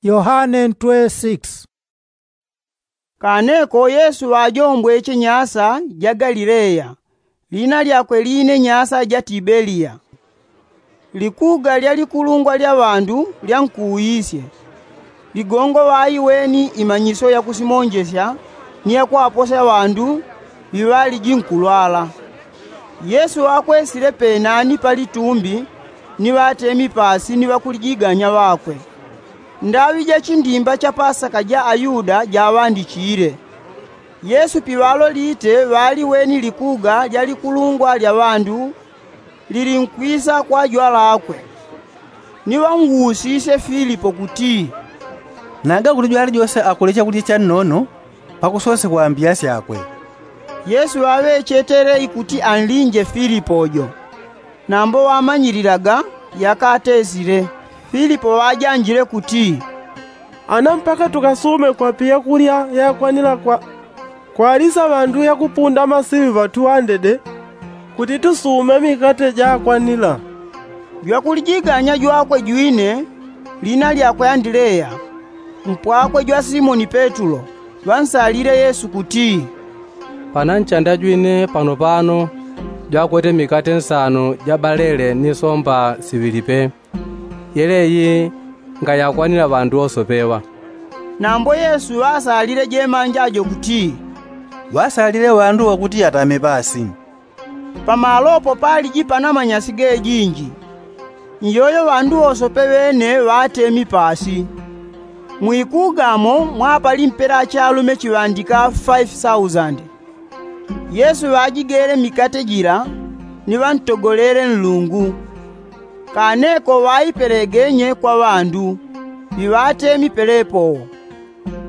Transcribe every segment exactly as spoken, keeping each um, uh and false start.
Yohane ntwe six. Kaneko yesu ŵajombweche nyasa ja galileya, lina lyakwe line nyasa ja tibeliya. Likuga lya likulungwa lya ŵandu lyankuwisye. Ligongo ŵaiweni imanyiso yakusimonjesya ni yakwaposya ŵandu ŵiŵaliji nkulwala. Yesu ŵakwesile penani pa litumbi ni ŵatemi pasi ni ŵakulijiganya ŵakwe. Ndaŵi ja chindimba cha pasaka ja ayuda jaŵandichile. Yesu piŵalolite ŵaliweni likuga lya likulungwa lya ŵandu lilinkwisa kwa jwalakwe. Ni ŵanguusisye filipo kuti, naga kuti jwali jose akule chakulya channono? Pakusose kwambiya syakwe. Yesu ŵaŵechetele ikuti anlinje filipo jo. Nambo ŵamanyililaga yakatesile. Filipo ŵajanjile kuti, ana mpaka tukasume kwape yakulya yakwanila kwa kwalisa ŵandu yakupunda masiŵi ŵatuŵandede kuti tusume mikate jakwanila. Jwakulijiganya jwakwe jwine lina lyakwe andileya, mpwakwe jwa simoni petulo, ŵansalile yesu kuti, pananchanda jwine panopano jwakwete mikate nsano ja balele ni somba siŵili pe. Yeleyi ngayakwanila ŵandu wosopeŵa. Nambo yesu ŵasalile jemanja jo kuti, ŵasalile ŵandu ŵakuti atame pasi. Pamalopo paliji pana manyasi gejinji. Nyoyo ŵandu wosope ŵene ŵatemi pasi. Mwikugamo mwapali mpela achalume chiŵandika faifi sausandi. Yesu ŵajigele mikate jila ni ŵantogolele nlungu. Kaneko ŵaipelegenye kwa ŵandu ŵiŵatemi pelepo.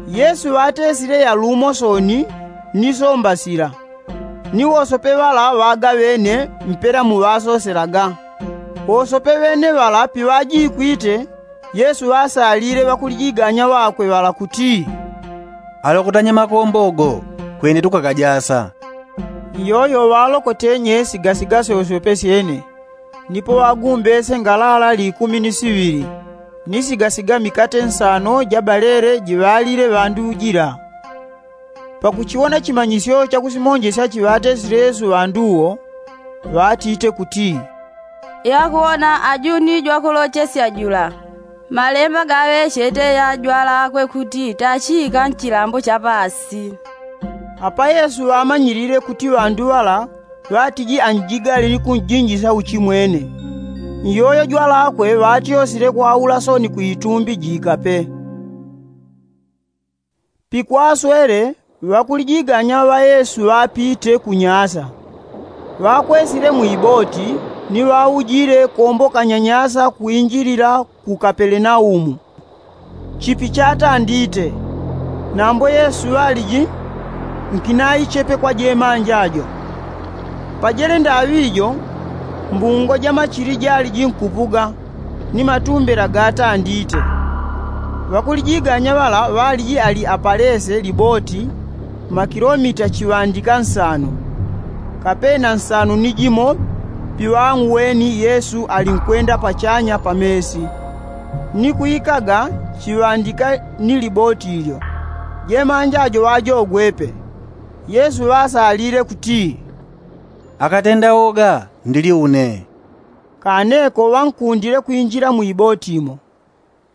Yesu ŵatesile yalumo soni ni somba sila. Ni wosope ŵala ŵagaŵene mpela muŵasoselaga. Wosope ŵene ŵala piŵajikwite yesu ŵasalile ŵakulijiganya ŵakwe ŵala kuti, alokotanye makombo go kwene tukakajasa. Iyoyo ŵalokotenye sigasiga syosyope syene. Nipo ŵagumbese ngalala likumi ni siŵili ni sigasiga mikate nsano ja balele jiŵalile ŵandu jila. Pakuchiwona chimanyisyo chakusimonjesya chiŵatesile yesu ŵandu wo, ŵatite kuti, yakuwona aju ni jwakulochesya jula. Malemba gaŵechete ya jwalakwe kuti tachika nchilambo cha pasi. Apa yesu ŵamanyilile kuti ŵandu ŵala ŵatiji anjigale ni kunjinjisya uchimwene. Nyoyo jwalakwe ŵatyosile kwaula soni kwitumbi jikape. Pikwaswele ŵakulijiganya ŵa yesu ŵapite kunyasa. Ŵakwesile mwiboti ni ŵaujile kombokanya nyasa kwinjilila ku kapelenaumu. Chipi chatandite. Nambo yesu ŵaliji nkinaichepe kwa jemanja jo. Pajele ndaŵi jo mbungo ja machili jaliji nkupuga ni matumbela gatandite. Ŵakulijiganya ŵala ŵaliji ali apalese liboti makilomita chiŵandika nsanu. Kapena nsanu ni jimo piŵang'weni yesu ali nkwenda pachanya pa mesi. Ni kwikaga chiŵandika ni liboti lyo. Jemanja jo ŵajogwepe. Yesu ŵasalile kuti, akatenda woga ndili une. Kaneko ŵankundile kwinjila mwiboti mo.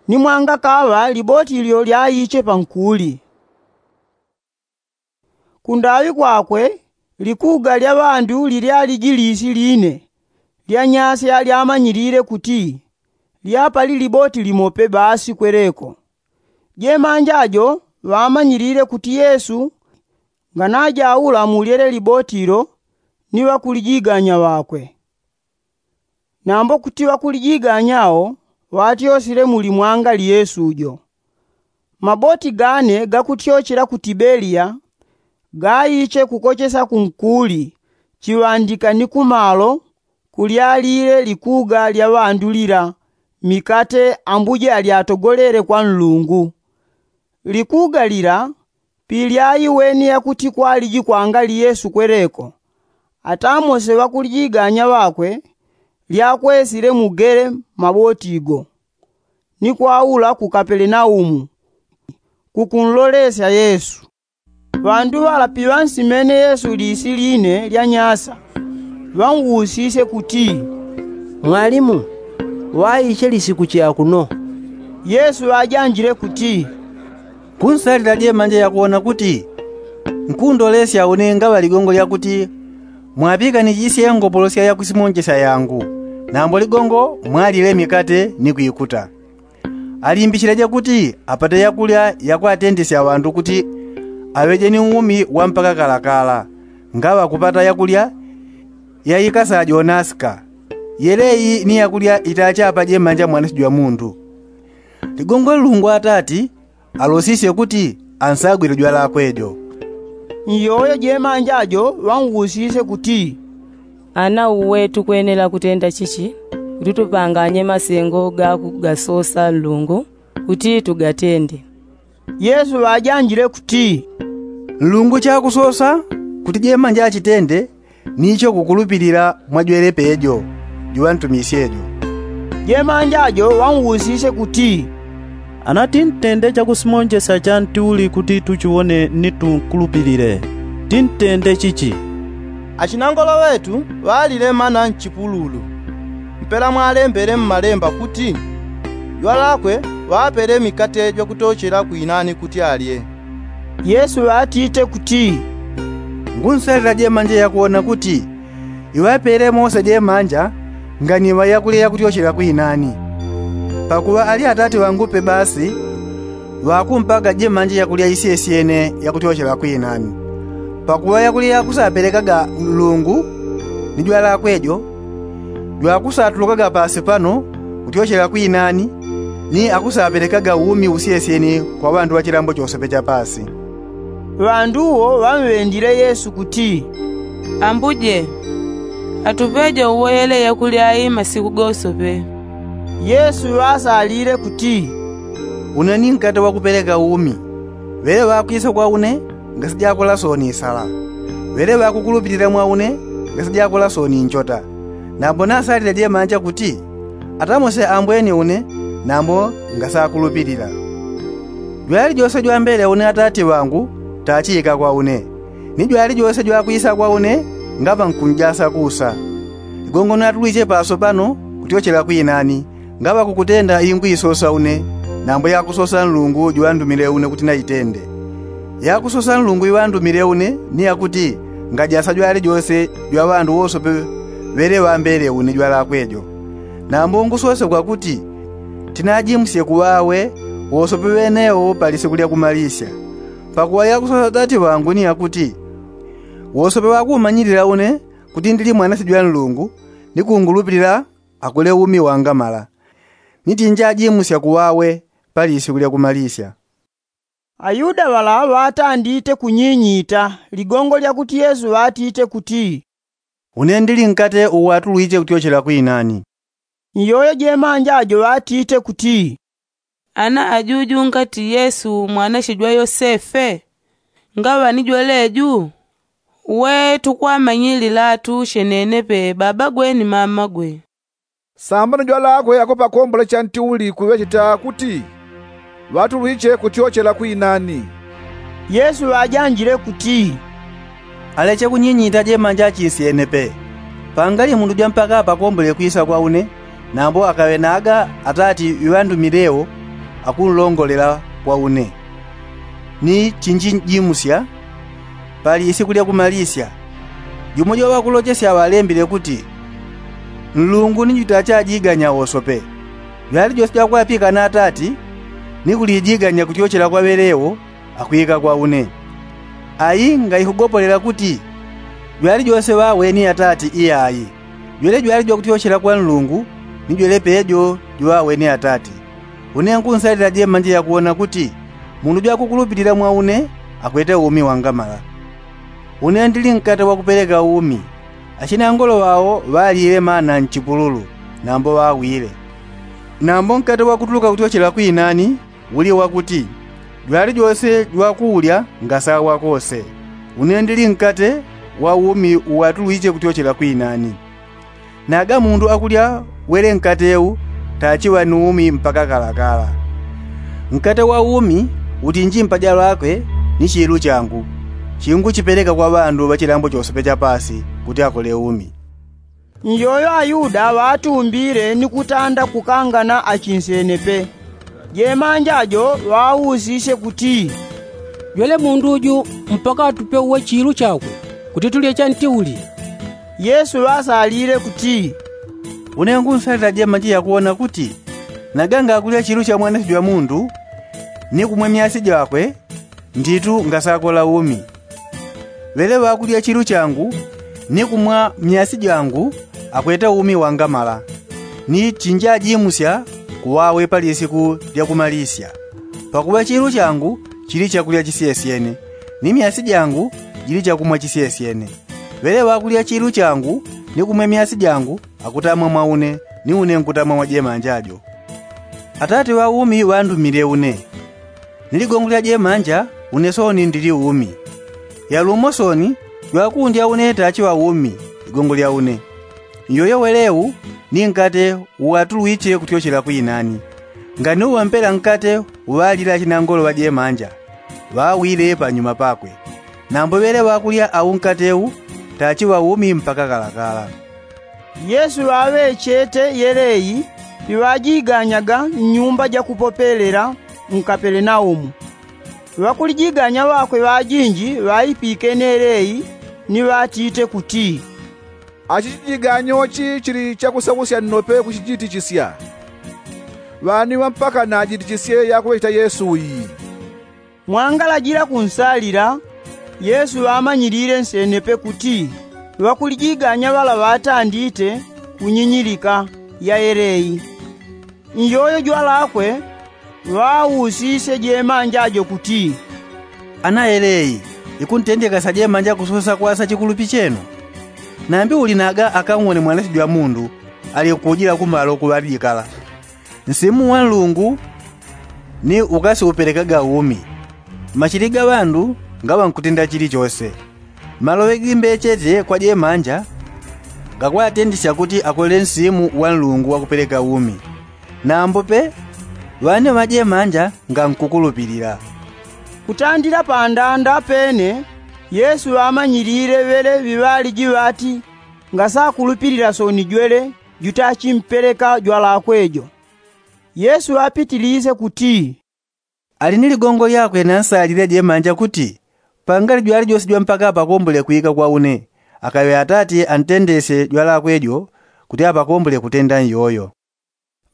Ni mwangakaŵa liboti lyo lyaiche pankuli. Kundaŵi kwakwe likuga lya ŵandu lilyaliji lisi line lya nyasya lyamanyilile kuti lyapali liboti limope basi kweleko. Jemanja jo ŵamanyilile kuti yesu nganajaula mulyele liboti lo ni ŵakulijiganya ŵakwe. Nambo kuti ŵakulijiganya wo ŵatyosile muli mwangali yesu jo. Maboti gane gakutyochela ku tibeliya gaiche kukochesa kunkuli chiŵandika ni kumalo kulyalile likuga lya ŵandu lila mikate ambuje alyatogolele kwa nlungu. Likuga lila pilyaiweni yakuti kwaliji kwangali yesu kweleko, atamose ŵakulijiganya ŵakwe lyakwesile mugele maboti go. ni kwaula ku kapelenaumu kukunlolesya yesu. Ŵandu ŵala piŵansimene yesu lisi line lya nyasa, ŵanwusisye kuti, mwalimu, ŵaiche lisi kuchi akuno? Yesu ŵajanjile kuti, nkunsalila jemanja yakuwona kuti nkundolesya une ngaŵa ligongo lyakuti mwaŵikanichisye ngopolosya yakusimonjesya yangu, nambo ligongo mwalile mikate ni kwikuta. Alimbishileje kuti apate yakulya yakwatendesya ŵandu kuti aŵeje ni umi wa mpaka kalakala. Ngaŵa kupata yakulya yaikasa jonaska, yeleyi ni yakulya itachapa jemanja mwananchi jwa mundu. Ligongo nlungu atati alosisye kuti ansagwile jwalakwe jo. Nyoyo jemanja jo ŵanwusisye kuti, ana uwe tukwenela kutenda chichi kuti tupanganye masengo gakugasosa nlungu kuti tugatende? Yesu ŵajanjile kuti, nlungu chakusosa kuti jemanja achitende, nicho kukulupilila mwajwelepe jo juŵantumisye jo. Jemanja jo ŵanwusisye kuti, ana tintende chakusimonjesya cha ntiuli kuti tuchiwone ni tukulupilile, tintende chichi? Achinangolo ŵetu ŵalile mana nchipululu, mpela mwalembele mmalemba kuti, jwalakwe ŵapele mikate jwakutochela kwinani kuti alye. Yesu ŵatite kuti, ngunsalila jemanja yakuwona kuti iŵapele mose jemanja nganiŵa yakulya yakutyochela kwinani. Pakuŵa ali atati ŵangupe basi ŵakumpaga jemanja yakulya isyesyene yakutyochela kwinani. Pakuŵa yakulya yakusapelekaga nlungu ni jwalakwe jo jwakusatulukaga pasi pano kutyochela kwinani, ni akusapelekaga umi usyesyene kwa ŵandu ŵa chilambo chosepe cha pasi. Ŵandu wo ŵamŵendile yesu kuti, ambuje, atupeje uwele yakulya ayi masiku gosope. Yesu ŵasalile kuti, une ni nkate wakupeleka umi. Ŵele ŵakwisa kwa une ngasijakola soni isala. Ŵele ŵakukulupilila mwa une ngasijakola soni inchota. Nambo nasalile jemanja kuti atamose ambweni une nambo ngasakulupilila. Jwali jose jwambele une atati ŵangu tachika kwa une, ni jwali jose jwakwisa kwa une ngaŵa nkunjasa kusa. Ligongo natulwiche paso pano kutyochela kwinani ngaŵa kukutenda ingwisosa une, nambo yakusosa nlungu juŵandumile une kuti naitende. Yakusosa nlungu iŵandumile une ni yakuti ngajasa jwali jose jwa ŵandu wosope ŵele ŵambele une jwalakwe jo. Nambo ngusose kwakuti tinajimusye kuŵawe wosope ŵenewo pa lisiku lya kumalisya. Pakuŵa yakusosa atati ŵangu ni yakuti wosope ŵakumanyilila une kuti ndili mwananchi jwa nlungu ni kungulupilila akule umi wangamala. Ni tinjajimusya kuŵawe pa lisiku lya kumalisya. Ayuda ŵala ŵatandite kunyinyita ligongo lyakuti yesu ŵatite kuti, une ndili nkate uwatulwiche kutyochela kwinani. Nyoyo jemanja jo ŵatite kuti, ana ajuju ngati yesu mwananchi jwa yosefe? Ngaŵa ni jweleju? Uwe tukwamanyililatu chenenepe babagwe ni mamagwe. Sambano jwalakwe ako pakombole cha ntiuli kuŵecheta kuti ŵatulwiche kutyochela kwinani. Yesu ŵajanjile kuti, aleche kunyinyita jemanja achisyenepe. Pangali mundu jwa mpaka pakombole kwisa kwa une, nambo akaŵe naga atati iŵandumilewo akunlongolela kwa une. Ni chinjijimusya pali isiku lya kumalisya. Jumo jwa ŵakulochesya ŵalembile kuti, nlungu ni jwitachajiganya wosope. Jwali jose jwakwapikana atati ni kulijiganya kutyochela kwa ŵelewo akwika kwa une. Ayi ngaikugopolela kuti jwali jose ŵaweni atati iyayi. Jwele jwali jwakutyochela kwa nlungu ni jwele pejo juŵaweni atati. Une nkunsalila jemanja yakuwona kuti mundu jwakukulupilila mwa une akwete umi wangamala. Une ndili nkate wakupeleka umi. Achinangolo ŵao ŵalile mana nchipululu nambo ŵawile. Nambo nkate wakutuluka kutyochela kwinani uli wakuti jwali jose jwakuulya ngasawa kose. Une ndili nkate wa umi uwatulwiche kutyochela kwinani. Naga mundu akulya wele nkate u tachiŵa ni umi mpaka kalakala. Nkate wa umi utinji mpaja lakwe ni chilu changu, chinguchipeleka kwa ŵandu ŵa chilambo chose pe chapasi kuti akole umi. Njoyo ayuda ŵatumbile ni kutanda kukangana achinsenepe. Jemanja jo ŵausisye kuti, jwele mundu uju mpaka atupe uwe chilu chakwe kuti tulye chanti uli? Yesu ŵasalile kuti, une ngunsalila jemanja yakuwona kuti naga ngakulya chilu cha mwanasyo jwa mundu ni kumwe myasi jakwe, nditu ngasakola umi. Ŵele ŵakulya chilu changu ni kumwa myasi jangu akwete umi wangamala, ni chinjajimusya kuwawe pa lisiku lya kumalisya. Pakuŵa chilu changu chili chakulya chisyesyene, ni myasi jangu jili chakumwa chisyesyene. Ŵele ŵakulya chilu changu ni kumwe myasi jangu akutamwa mwa une, ni une nkutama mwa jemanja jo. Atate ŵa umi ŵandumile une, ni ligongo lya jemanja une sooni ndili umi. Yalumo sooni jwakundya une tachiŵa umi ligongo lya une. Njoyo welewu ni nkate uŵatulwiche kutyochela kwinani. Nganiuŵampela nkate uŵalila achinangolo ŵa jemanja ŵawile panyuma pakwe. Nambo ŵele ŵakulya au nkate u tachiŵa umi mpaka kalakala. Yesu ŵaŵechete yeleyi piŵajiganyaga nnyumba jakupopelela mu kapelenaumu. Ŵakulijiganya ŵakwe ŵajinji ŵaipikene yeleyi ni ŵatite kuti, achi chijiganyo chi chili chakusakusya nnope kuchijitichisya. Ŵaniŵa mpaka najitichisye yakuŵecheta yesu uyi. Mwangalajila kunsalila yesu ŵamanyilile nsenepe kuti ŵakulijiganya ŵala ŵatandite kunyinyilika ya yeleyi. Njoyo jwalakwe ŵausisye jemanja jo kuti, ana yeleyi ikuntendekasya jemanja kusosa kwasa chikulupi chenu? Nambi uli naga akamwone mwanasyo jwa mundu ali kujila kumalo kuŵalijikala. Nsimu wa nlungu ni ukasiupelekaga umi. Machili ga ŵandu ngaŵa nkutenda chilichose. Maloŵe gimbechete kwa jemanja ngakwatendesya kuti akole nsimu wa nlungu wakupeleka umi. Nambo pe ŵane ŵa jemanja ngankukulupilila. Kutandila pandanda pene yesu ŵamanyilile ŵele ŵiŵaliji ŵati ngasakulupilila sooni jwele jutachimpeleka jwalakwe jo. Yesu ŵapitilise kuti, ali ni ligongo lyakwe nansalile jemanja kuti pangali jwalijose jwa mpaka apakombole kwika kwa une, akaŵe atate antendesye jwalakwe jo kuti apakombole kutenda nyoyo.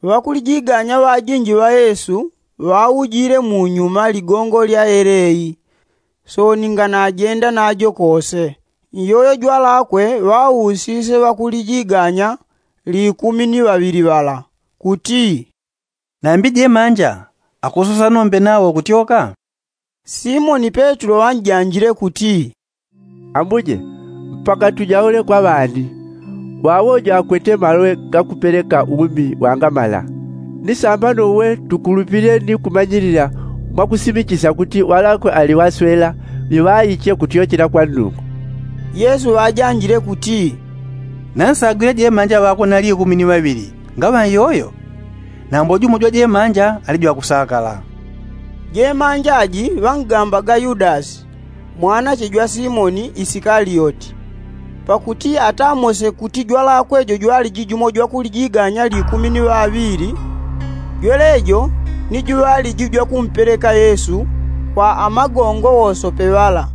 Ŵakulijiganya ŵajinji ŵa yesu ŵaujile munyuma ligongo lya yeleyi. Sooni nganajenda najo kose. Nyoyo jwalakwe ŵausisye ŵakulijiganya likumi ni ŵaŵili ŵala kuti, nambi jemanja akusosa nombe nawo kutyoka? Simoni petulo ŵanjanjile kuti, ambuje, mpaka tujaule kwa ŵani? Wawo jo akwete maloŵe gakupeleka umi wangamala. Ni sambano uwe tukulupile ni kumanyilila mwakusimichisya kuti ŵalakwe ali ŵaswela ŵiŵaiche kutyochela kwa nlungu. Yesu ŵajanjile kuti, nansagwile jemanja ŵakwe nali ikumi ni ŵaŵili ngaŵa nyoyo? Nambo jumo jwa jemanja ali jwakusakala. Jemanja ji ŵangambaga yudasi mwanache jwa simoni isikaliyoti. Pakuti atamose kuti jwalakwe jo jwaliji jumo jwakulijiganya likumi ni ŵaŵili, jwelejo ni juŵaliji jwakumpeleka yesu kwa amagongo wosope ŵala.